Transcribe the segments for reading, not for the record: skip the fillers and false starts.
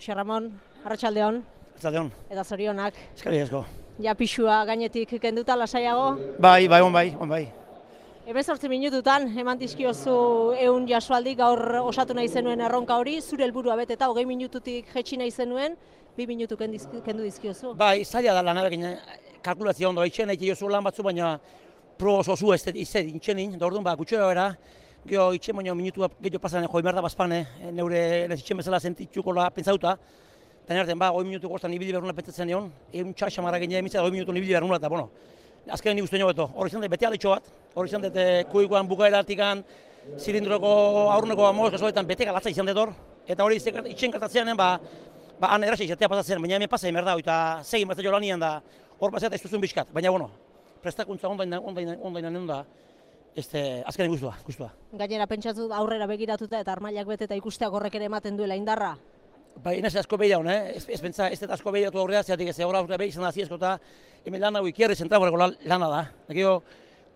Jose Ramon, arratsaldeon. Arratsaldeon. Eta zorionak. Eskerrik asko. Ja pixua gainetik kenduta lasaiago. Bai, on bai. 18 minututan eman dizkiozu 100 jasoaldi gaur osatu nahi zenuen erronka hori, zure helburua beteta 20 minututik jetxi nahi zenuen, 2 minutu kendu dizkiozu. Bai, zaila da lanarekin kalkulazio ondo itxen nahi jozu lan batzu, baina pro oso zu ez intxenin, da orduan gutxera bera, geho itxen baina minutua gehiago pasan joi merda bazpane, neure itxen bezala sentitxukola pentsauta, eta nerten 20 minutu goztan ibili behar nula pentsatzen egon, egun txasamara gine emitzea 20 minutu ibili behar nula, eta bueno, azkenean nik uste nio beto, hori izan dut bete aletxo bat, hori izan dut kuikoan bukaeratikan, zilindroko aurruneko amoz gazoetan bete galatza izan dut hor, eta hori itxen kartatzean, han erraxa izatea pasatzen, baina hemen pasai merda, eta segin bat jo lanian da, hor pasatzen ez duzun bizkat, baina bueno, prestakuntza ondainen da, azkenean guztua. Gainera pentsatu aurrera begiratuta eta armailak beteta ikusteak horrek ere ematen duela indarra. Bai, ez asko behira hon, ez pentsa, ez asko behiratu aurrera, zeatik ez horra aurrera behir izan da ziezko eta hemen lan hau ikierri zentraboreko lana da. Dakio,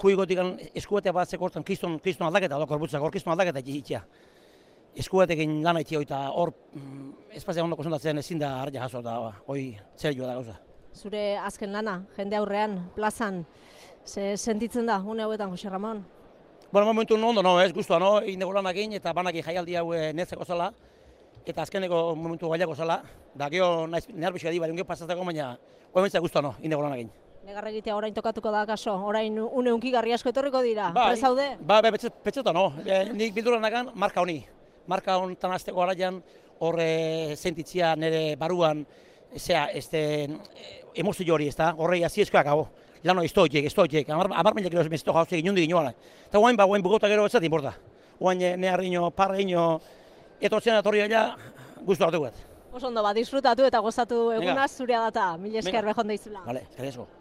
kuigotik eskuetea bat zekortan kriston aldaketa, korbutzak hor kriston aldaketa itxia. Eskuetekin lana itxia eta hor espazia ondo konzentratzen ezin da harria jaso eta hoi zer joa da gauza. Zure azken lana, jende aurrean, plazan, sentitzen da, une hauetan, Jose Ramon? Bueno, momentu ondo, guztua, indego lanakin eta banakin jaialdi hau netzeko zala, eta azkeneko momentu gailako zala, da geho nervizioa di, bari pasatzeko, baina oementzak guztua, indego lanakin. Negarra egitea orain tokatuko da kaso, orain une hunkigarri asko etorriko dira, prezaude? Ba, petxeta nik bilduranakan marka honi. Marka honetan azteko garaian, horre sentitzia nire baruan, emozio hori, horrei aziezkoak hau. Lano estoiek, amar milak gero ez jauzek inundik inoan. Eta guain bugauta gero ez zati importa. Guain neharriño, parreño, etortzen atorri gaila, guztu hartu gut. Oso ondo, disfrutatu eta gozatu egunaz zurea data, mila esker behon deizula. Vale, eskerrik asko.